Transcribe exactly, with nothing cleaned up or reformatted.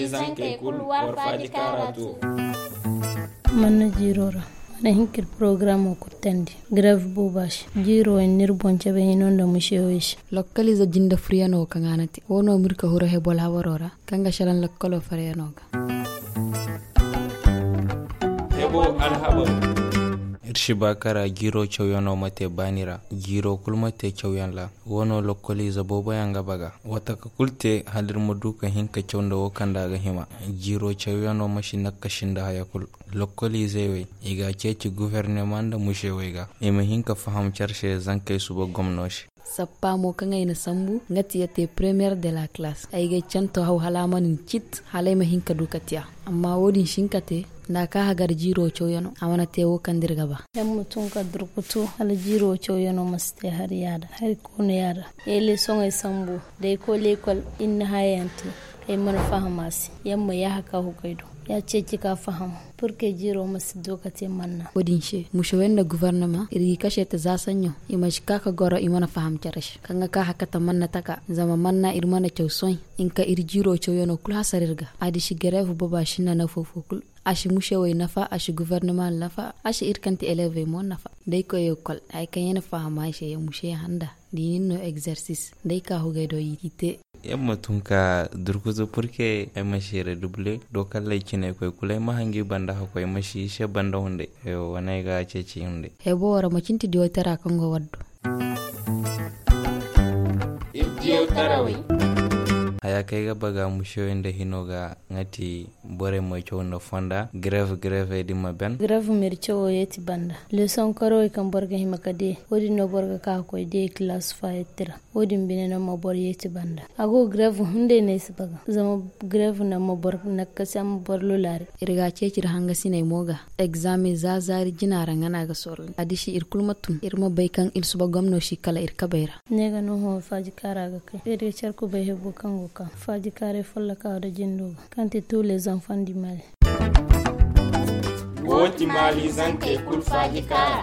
Zankey kulu war faaji kaara tu. Manna jiiro ra, mana hin ka iri porogaraamo kurtandi. Gareef booba se jiiro wo n'iri boŋ cabe hino nda musewey se. Lokkoliize jinde furyaŋo kaŋ a na te wo no ma iri ka huru hebol habaro ra, kaŋ ga salaŋ lokkolo faryaŋo ga. Hebo alhabar. Iri si ba kara jiiro cawyaŋo ma te baani ra. Jiiro kulu ma te cawyaŋ ra. Wo no lokkoliize boobo yaŋ ga baga. Wataka kulu te hala iri ma du ka hin ka caw nda wo kaŋ da a ga hima. Jiiro cawyaŋo ma si nakkasin nda haya kulu. Lokkoliizey wey, i ga a ceeci gufornama nda musewey ga, i ma hin ka faham care se zankey suba gomno se. Sappa mo kaŋ ay na sambu nga ti ya te première de la classe. Ay ga ay canto haw hala a mana ni cit hala ay ma hin ka du ka tiya. Amma wo-din si hin ka te nda a ka hagar jiiro cawyaŋo a mana te wo kaŋ da iri ga ba. Yaŋ ma tun ka durkutu hala jiiro cawyaŋo ma si te hari yaada hari koonu yaada. Ay leesoŋey sambu da ay koy leekol iri na hayayaŋ te. Ay mana faham a se. Yaŋ ma yaaha ka hugay do ya ceeci ka faham. Purke jiiro ma si du ka te manna. Wo-din se musewey nda gufornama iri ga i kase te za saɲɲo. I ma si ka ka goro i mana faham care se kaŋ ga ka hakata manna taka zama manna iri mana caw sohõ. Hinka iri jiiro cawyaŋo kulu hasara iri ga. A di si gareef booba sinda nafa fo kulu. A si musewey nafa, a si gufornama nafa, a si iri kaŋ ti elevey mo nafa. Da ay koy leekol hari kaŋ yaŋ na faham ay se yaŋ museyaŋ handa da i na ni no egzersis da ay ka hugay do i te. Yaŋ ma tun ka durkutu purke ay ma si redubule do kalley ciney koy kulu ay ma hangi banda hakkoy ay ma si i se banda hunday. Wane ay ga ceeci hunday. Hebo wo ra macin ti diyoy tara kaŋ go waddo. Iri diyoy tarawey. Haya kaŋ ay ga baga musewey nda hino ga nga ti borey ma caw nda fonda gareef gareefey din ma ben. Gareef ma iri cawo yeeti banda. Leesoŋ karawey kaŋ boro ga hima ka de wo-din no boro ga ka ka koy de kilaas faayetti ra. Wo-din bine no ma boro yeeti banda. A go gareef hunday no ay si baga zama gareef no ma boro nakkasi a ma boro lulaari. Iri ga a ceeci iri hangasiney mo ga. Egzaame za zaari jina ra nga no a ga sorro a di si iri kulu ma tun iri ma bay kaŋ iri suba gomno si kala iri kabey ra. Ne ga no hõ faaji kaara ga kay iri ga care kubay hebo kaŋ go ka faaji kaaray folloka da jindo ga kaŋ ti tous les enfants du mali. Wo ti maali zankey kulu faaji kaara.